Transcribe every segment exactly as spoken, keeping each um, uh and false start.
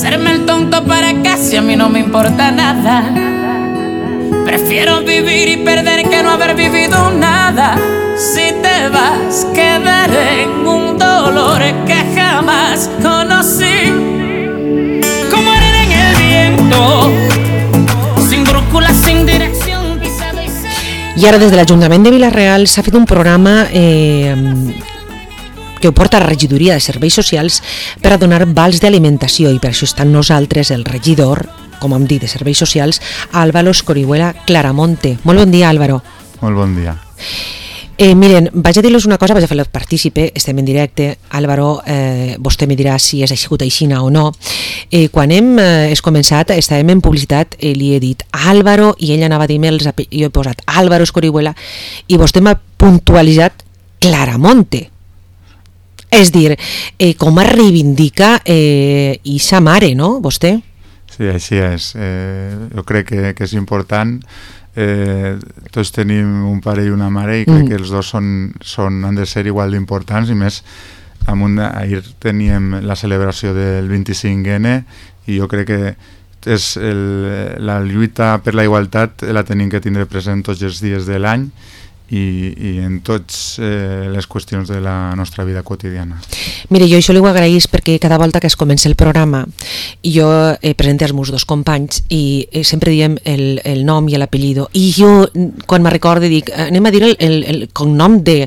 hacerme el tonto para casi a mí no me importa nada. Prefiero vivir y perder que no haber vivido nada. Si te vas, quedaré en un dolor que jamás conocí. Como arena en el viento, sin brújula, sin dirección. I ara des de l'Ajuntament de Vila-real s'ha fet un programa eh, que ho porta a la regidoria de serveis socials per a donar vals d'alimentació, i per això està amb nosaltres el regidor, com hem dit, de serveis socials, Álvaro Escorihuela Claramonte. Molt bon dia, Álvaro. Molt bon dia. Eh, miren, vaig a dir-los una cosa, vaig a fer-los partícipe, estem en directe. Álvaro, eh, vostè me dirà si és sigut aixina o no. Eh, quan hem eh, començat, estàvem en publicitat, eh, li he dit Álvaro, i ell anava a dir-me els ape... jo he posat Álvaro Escorihuela, i vostè m'ha puntualitzat Claramonte. És dir, eh, com es reivindica eh, i sa mare, no, vostè? Sí, així és. Eh, jo crec que, que és important. Eh, tots tenim un pare i una mare i crec mm. que els dos són, són, han de ser igual d'importants, i més amunt, ahir teníem la celebració del vint-i-cinc ene i jo crec que és el, la lluita per la igualtat la tenim que tindre present tots els dies de l'any i, i en totes eh, les qüestions de la nostra vida quotidiana. Mire, jo això li ho agraïs perquè cada volta que es comença el programa jo eh, presento els meus dos companys i eh, sempre diem el, el nom i l'apellido, i jo quan me recorde dic, anem a dir el, el, el cognom de,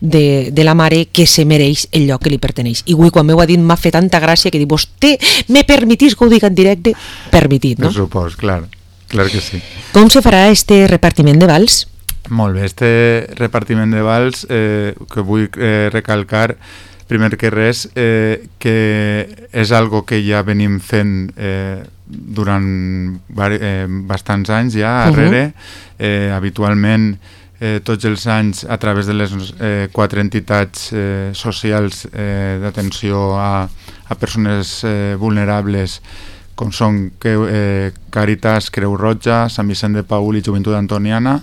de, de la mare que se mereix el lloc que li perteneix, i avui quan m'ho ha dit m'ha fet tanta gràcia que dic, vostè me permitís que ho dic en directe? Permitit, no? Per supòs, clar, clar que sí. Com se farà este repartiment de vals? Molt bé, este repartiment de vals eh, que vull eh, recalcar primer que res eh, que és algo que ja venim fent eh, durant eh, bastants anys ja arrere. Uh-huh. eh, habitualment eh, tots els anys a través de les eh, quatre entitats eh, socials eh, d'atenció a, a persones eh, vulnerables com són eh, Càritas, Creu Roja, Sant Vicent de Paül i Joventut Antoniana.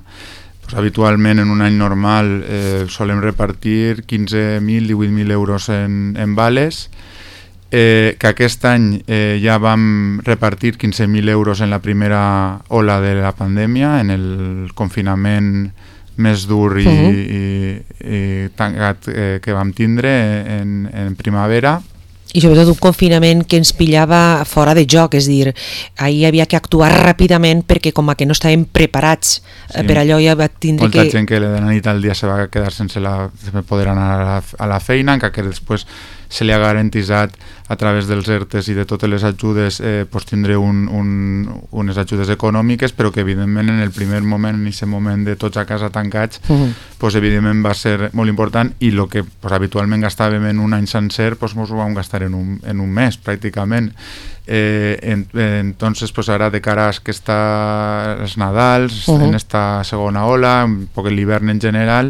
Habitualment en un any normal eh, solem repartir quinze mil, divuit mil euros en, en vales, eh, que aquest any eh, ja vam repartir quinze mil euros en la primera ola de la pandèmia, en el confinament més dur i, uh-huh. i, i tancat eh, que vam tindre en, en primavera. I sobretot un confinament que ens pillava fora de joc, és dir, ahir havia que actuar ràpidament perquè com a que no estàvem preparats sí. per allò ja va tindre Molta que... Molta gent que de la nit al dia se va quedar sense la, poder anar a la, a la feina, encara que després se li ha garantitzat a través dels ERTES i de totes les ajudes eh, pues tindre un, un, unes ajudes econòmiques, però que evidentment en el primer moment, en aquest moment de tots a casa tancats, uh-huh. pues evidentment va ser molt important, i el que pues, habitualment gastàvem en un any sencer pues ens ho vam gastar en un, en un mes pràcticament. Eh, en, eh, entonces pues ara de cara a aquesta, els Nadals, uh-huh. en esta segona ola, un poc l'hivern en general,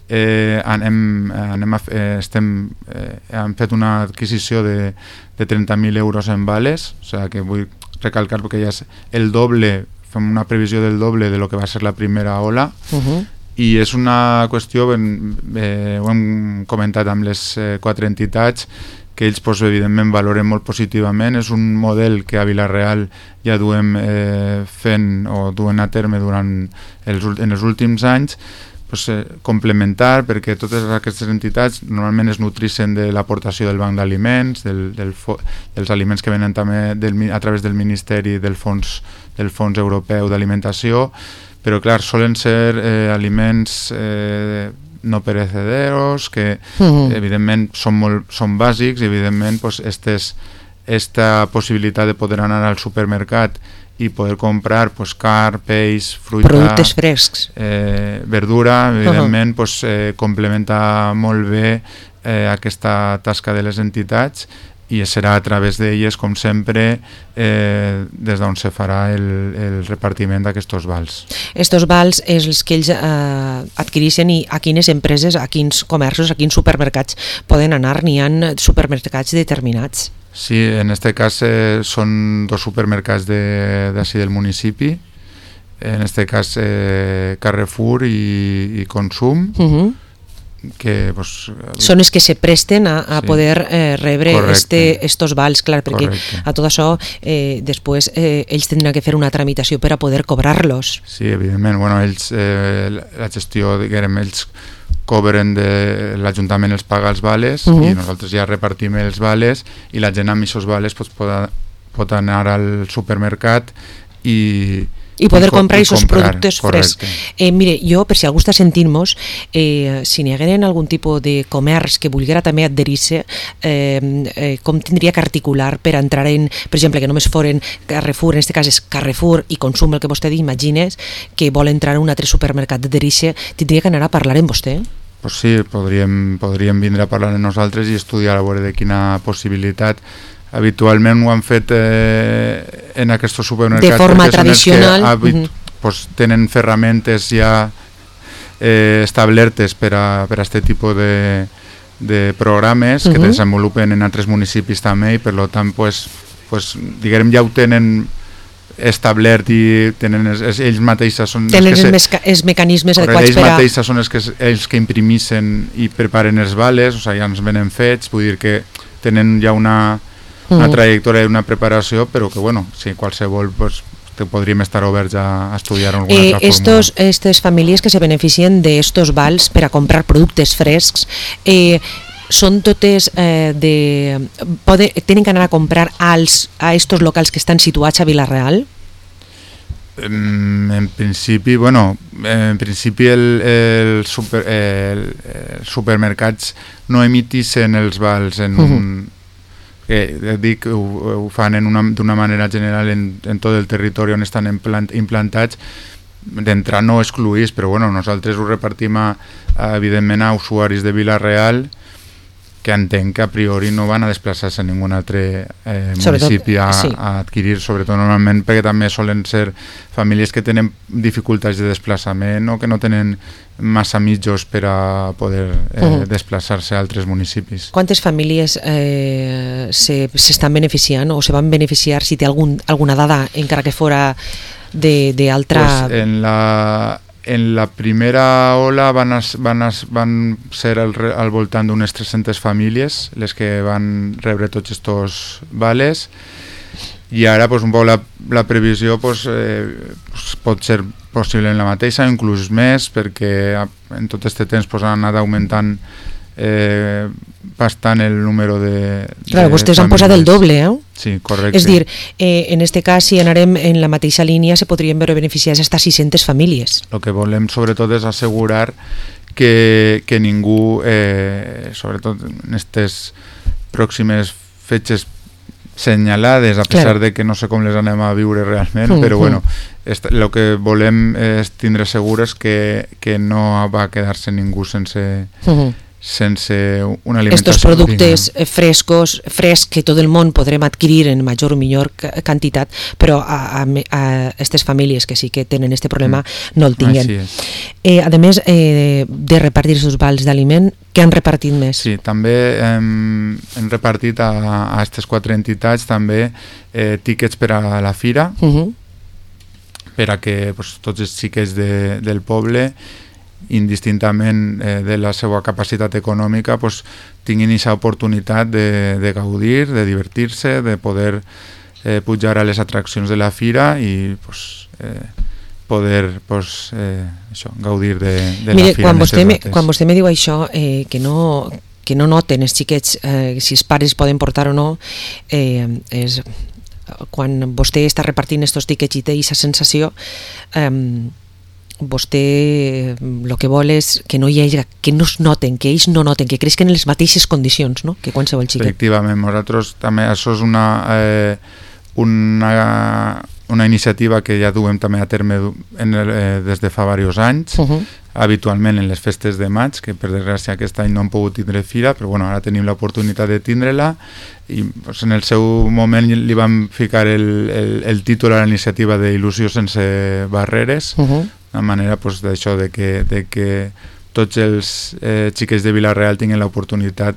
eh, anem, anem a, eh, estem, eh, hem fet una adquisició de, de trenta mil euros en vales, o sigui que vull recalcar perquè ja és el doble, fem una previsió del doble de lo que va ser la primera ola, uh-huh. i és una qüestió, eh, ho hem comentat amb les eh, quatre entitats, que ells pues, evidentment valoren molt positivament. És un model que a Vila-real ja duem eh, fent o duen a terme durant els, en els últims anys, pues, eh, complementar, perquè totes aquestes entitats normalment es nutrixen de l'aportació del banc d'aliments, del, del fo, dels aliments que venen també del, a través del Ministeri del Fons, del Fons Europeu d'Alimentació, però clar, solen ser eh, aliments eh, no perecederos, que uh-huh. evidentment són, molt, són bàsics, i evidentment pues, estes, esta possibilitat de poder anar al supermercat i poder comprar pues, car, peix, fruita, productes frescs, eh, verdura, evidentment uh-huh. pues, eh, complementa molt bé eh, aquesta tasca de les entitats, i serà a través d'elles, com sempre, eh, des d'on se farà el, el repartiment d'aquests vals. Estos vals és els que ells eh, adquireixen, i a quines empreses, a quins comerços, a quins supermercats poden anar? N'hi ha supermercats determinats? Sí, en aquest cas eh, són dos supermercats d'ací de, del municipi, en aquest cas eh, Carrefour i, i Consum. Uh-huh. que pues, són els que se presten a, a sí. poder eh, rebre este, estos vals, clar, perquè Correcte. A tot això eh, després eh, ells tindran que fer una tramitació per a poder cobrar-los. Sí, evidentment, bueno, ells, eh, la gestió, diguem, ells cobren de l'Ajuntament els paga els vales uh -huh. i nosaltres ja repartim els vales i la gent amb aquests vales pues, pot, pot anar al supermercat i i poder I comprar aquests productes frescs. Eh, mire, jo, per si algú està sentint-nos, eh, si n'hi hagueren algun tipus de comerç que volguera també adherir-se, eh, eh, com tindria que articular per entrar en, per exemple, que només foren Carrefour, en aquest cas és Carrefour i Consum, el que vostè imagines, que vol entrar en un altre supermercat d'adherir-se, tindria que anar a parlar amb vostè? Pues sí, podríem, podríem vindre a parlar amb nosaltres i estudiar a veure de quina possibilitat. Habitualment ho han fet eh, en aquests supermercats de forma tradicional que habit, uh-huh. pues, tenen ferramentes ja eh, establertes per a, per a este tipus de, de programes uh-huh. que desenvolupen en altres municipis també i per tant pues, pues, diguem ja ho tenen establert i tenen els, ells mateixos són tenen els, que els, se, els mecanismes correcte, adequats ells per a... mateixos són els que, els que imprimissen i preparen els vales, o sigui, ja ens venen fets, vull dir que tenen ja una una trajectòria i una preparació, però que bueno, si qualsevol pues, te podríem estar oberts a, a estudiar alguna eh, altra estos, fórmula. Estas famílies que se beneficien d'estos vals per a comprar productes frescs, eh, són totes eh, de... Pode, tenen que anar a comprar als, a estos locals que estan situats a Vila-real? En, en principi, bueno, en principi el, el, super, el, el supermercats no emitissen els vals en uh-huh. un... que dic, ho, ho fan d'una manera general en, en tot el territori on estan implant, implantats, d'entrar no excluïts, però bueno, nosaltres ho repartim a, a, evidentment a usuaris de Vila-real que entenc que a priori no van a desplaçar-se a ningun altre eh, municipi a, sí. a adquirir, sobretot normalment perquè també solen ser famílies que tenen dificultats de desplaçament o que no tenen massa mitjos per a poder eh, uh-huh. desplaçar-se a altres municipis. Quantes famílies eh, s'estan beneficiant o se van beneficiar, si té algun, alguna dada, encara que fora d'altra... Pues en la... En la primera ola van, as, van, as, van ser al, al voltant d'unes tres-centes famílies les que van rebre tots estos vales i ara pues, un poc la, la previsió pues, eh, pues, pot ser possible en la mateixa, inclús més, perquè en tot aquest temps pues, han anat augmentant eh, bastant el número de... Clar, de vostès famílies. Han posat el doble, eh? Sí, correcte. És dir, eh, en este cas, si anarem en la mateixa línia, se podrien veure beneficiades hasta sis-centes famílies. El que volem, sobretot, és assegurar que, que ningú, eh, sobretot en aquestes pròximes fetges senyalades, a pesar claro. de que no sé com les anem a viure realment, uh-huh. però bueno, el que volem és tindre segures que, que no va quedar-se ningú sense... Uh-huh. sense una alimentació. Estos productes digna. frescos, fresc que tot el món podrem adquirir en major o millor quantitat, però a, a, a aquestes famílies que sí que tenen aquest problema mm. no el tinguen. Eh, a més eh, de repartir els vals d'aliment, què han repartit més? Sí, també hem, hem repartit a aquestes quatre entitats també eh, tíquets per a la fira, uh-huh. per a que pues, tots els xiquets de, del poble indistintament eh, de la seva capacitat econòmica pues, tinguin aquesta oportunitat de, de gaudir, de divertir-se, de poder eh, pujar a les atraccions de la fira i pues, eh, poder pues, eh, això, gaudir de, de Mire, la fira. Quan vostè, me, quan vostè me diu això, eh, que, no, que no noten els xiquets eh, si els pares poden portar o no, eh, és quan vostè està repartint estos tiquets i té aquesta sensació, eh, vostè el que vol és que no hi hagi, que no es noten, que ells no noten, que creixen en les mateixes condicions, no?, que qualsevol xiquet. Efectivament, nosaltres també, això és una, eh, una, una iniciativa que ja duem també a terme en el, eh, des de fa diversos anys, uh-huh. habitualment en les festes de maig, que per desgràcia aquest any no hem pogut tindre fira, però bueno, ara tenim l'oportunitat de tindre-la i pues, en el seu moment li vam ficar el, el, el títol a la iniciativa d'Il·lusió sense barreres, uh-huh. una manera pues, d'això, de que, de que tots els eh, xiquets de Vila-real tinguin l'oportunitat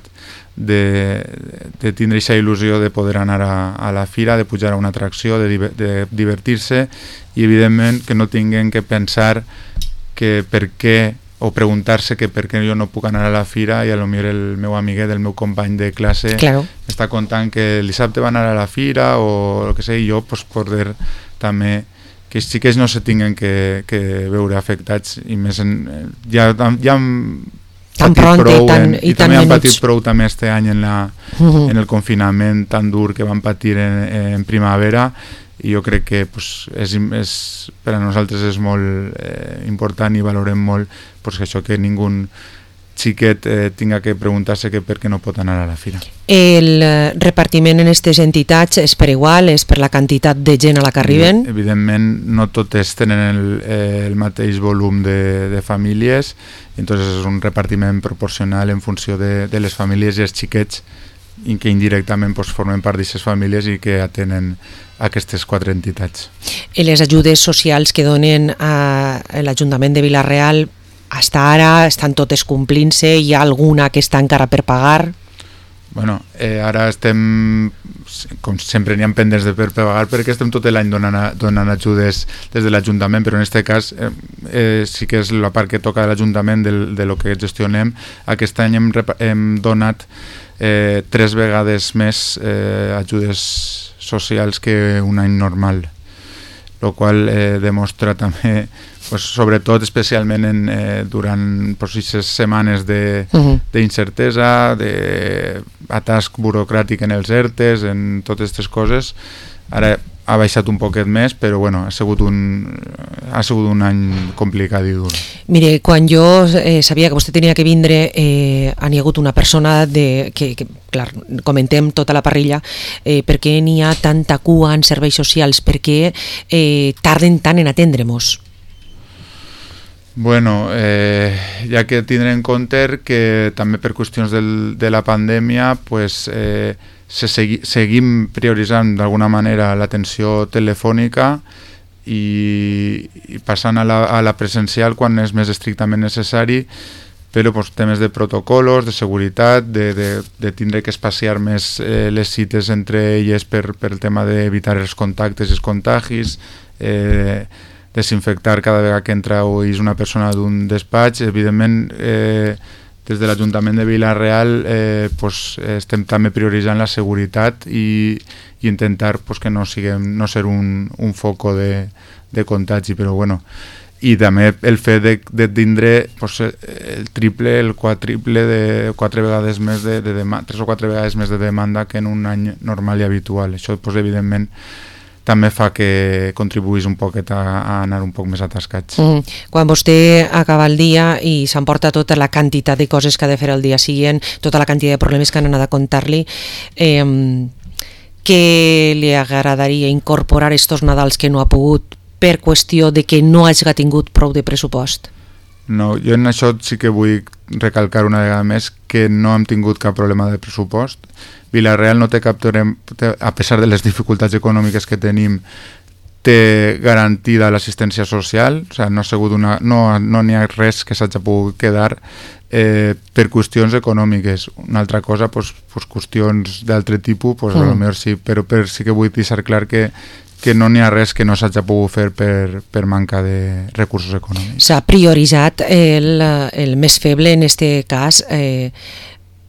de, de tindre aquesta il·lusió de poder anar a, a la fira, de pujar a una atracció, de, de divertir-se i evidentment que no tinguin que pensar que per què o preguntar-se que per què jo no puc anar a la fira i a lo millor el meu amiguet, el meu company de classe claro. està contant que el dissabte va anar a la fira o el que sé, i jo pues, poder també que els xiquets no se tinguen que, que veure afectats i més en, ja, ja han tan patit pront prou i, tan, en, i, i també tan han patit menuts. prou també este any en, la, uh-huh. en el confinament tan dur que van patir en, en primavera i jo crec que pues, és, és, per a nosaltres és molt eh, important i valorem molt pues, això que ningú xiquet eh, tinga que preguntar-se que per què no pot anar a la fira. El eh, repartiment en aquestes entitats és per igual, és per la quantitat de gent a la que arriben? Evidentment no totes tenen el, eh, el mateix volum de, de famílies, entonces és un repartiment proporcional en funció de, de les famílies i els xiquets i que indirectament pues, formen part d'aquestes famílies i que atenen aquestes quatre entitats. I les ajudes socials que donen a l'Ajuntament de Vila-real hasta ara estan totes complint-se? Hi ha alguna que està encara per pagar? Bueno, eh, ara estem, com sempre n'hi ha pendents de per pagar perquè estem tot l'any donant, donant ajudes des de l'Ajuntament, però en aquest cas eh, eh, sí que és la part que toca de l'Ajuntament de, de lo que gestionem. Aquest any hem, hem donat eh, tres vegades més eh, ajudes socials que un any normal, el qual eh, demostra també, pues, sobretot especialment en, eh, durant aquestes setmanes d'incertesa, uh-huh. d'atasc burocràtic en els ERTEs, en totes aquestes coses. Ara ha baixat un poquet més, però bueno, ha sigut un, ha sigut un any complicat i dur. Mire, quan jo eh, sabia que vostè tenia que vindre, eh, ha hi ha hagut una persona de, que, que clar, comentem tota la parrilla, eh, per què n'hi ha tanta cua en serveis socials, per què eh, tarden tant en atendre-nos? Bueno, eh, ja que tindrem en compte que també per qüestions del, de la pandèmia pues, eh, se segui, seguim prioritzant d'alguna manera l'atenció telefònica i, i passant a la, a la presencial quan és més estrictament necessari, però pues, temes de protocolos, de seguretat, de, de, de tindre que espaciar més eh, les cites entre elles per, per el tema d'evitar els contactes i els contagis, eh, desinfectar cada vegada que entra o és una persona d'un despatx. Evidentment, eh, des de l'Ajuntament de Vila-real eh, pues, estem també prioritzant la seguretat i, i intentar pues, que no, siguem, no ser un, un foco de, de contagi, però bueno, i també el fet de, de tindre pues, el triple, el quadriple de quatre vegades més de, de demanda, tres o quatre vegades més de demanda que en un any normal i habitual. Això pues, evidentment també fa que contribuís un poquet a, a anar un poc més atascats. Mm. Quan vostè acaba el dia i s'emporta tota la quantitat de coses que ha de fer el dia següent, tota la quantitat de problemes que han anat a contar-li, eh, què li agradaria incorporar estos Nadals que no ha pogut per qüestió de que no hagi tingut prou de pressupost? No, jo en això sí que vull recalcar una vegada més que no hem tingut cap problema de pressupost. Vila-real no té cap problema, a pesar de les dificultats econòmiques que tenim, té garantida l'assistència social, o sigui, no ha sigut una, no, no n'hi ha res que s'hagi pogut quedar eh, per qüestions econòmiques. Una altra cosa, pues, pues qüestions d'altre tipus, pues, mm. a lo millor sí, però per, sí que vull deixar clar que que no n'hi ha res que no s'hagi pogut fer per, per manca de recursos econòmics. S'ha prioritzat el, el més feble, en aquest cas, eh,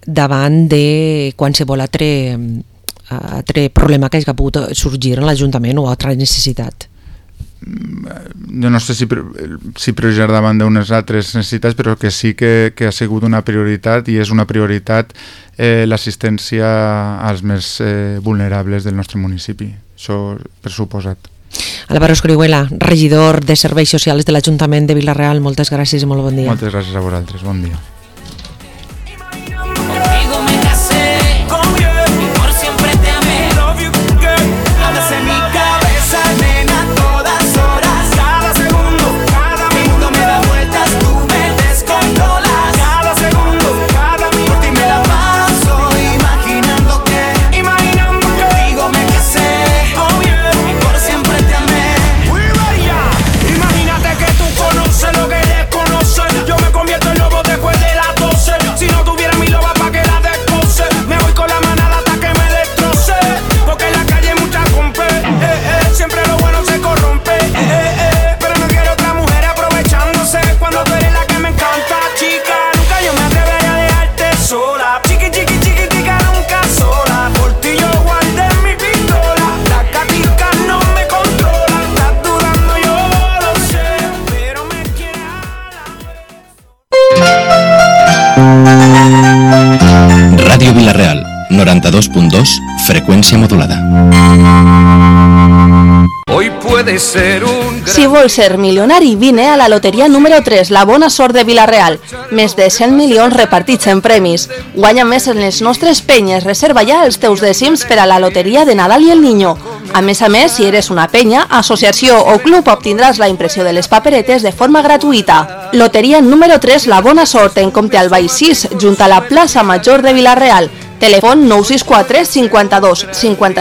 davant de qualsevol altre, altre problema que hagi pogut sorgir en l'Ajuntament o altra necessitat. Jo no sé si, si prioritzar davant d'unes altres necessitats, però que sí que, que ha sigut una prioritat i és una prioritat eh, l'assistència als més eh, vulnerables del nostre municipi. Això per suposat. Álvaro Escrihuela, regidor de Serveis Socials de l'Ajuntament de Vila-real, moltes gràcies i molt bon dia. Moltes gràcies a vosaltres, bon dia. Imagínate que tú conoces lo que desconoces. Yo me convierto en lobo después de noranta-dos punt dos, freqüència modulada. Hoy puede ser un gran... Si vols ser milionari, vine a la loteria número tres, la bona sort de Vila-real. Més de cent milions repartits en premis. Guanya més en les nostres penyes. Reserva ja els teus dècims per a la loteria de Nadal i el Niño. A més a més, si eres una penya, associació o club, obtindràs la impressió de les paperetes de forma gratuïta. Loteria número tres, la bona sort, en Comte Albay sis, junt a la plaça Major de Vila-real. Telèfon nou sis quatre cinquanta-dos cinquanta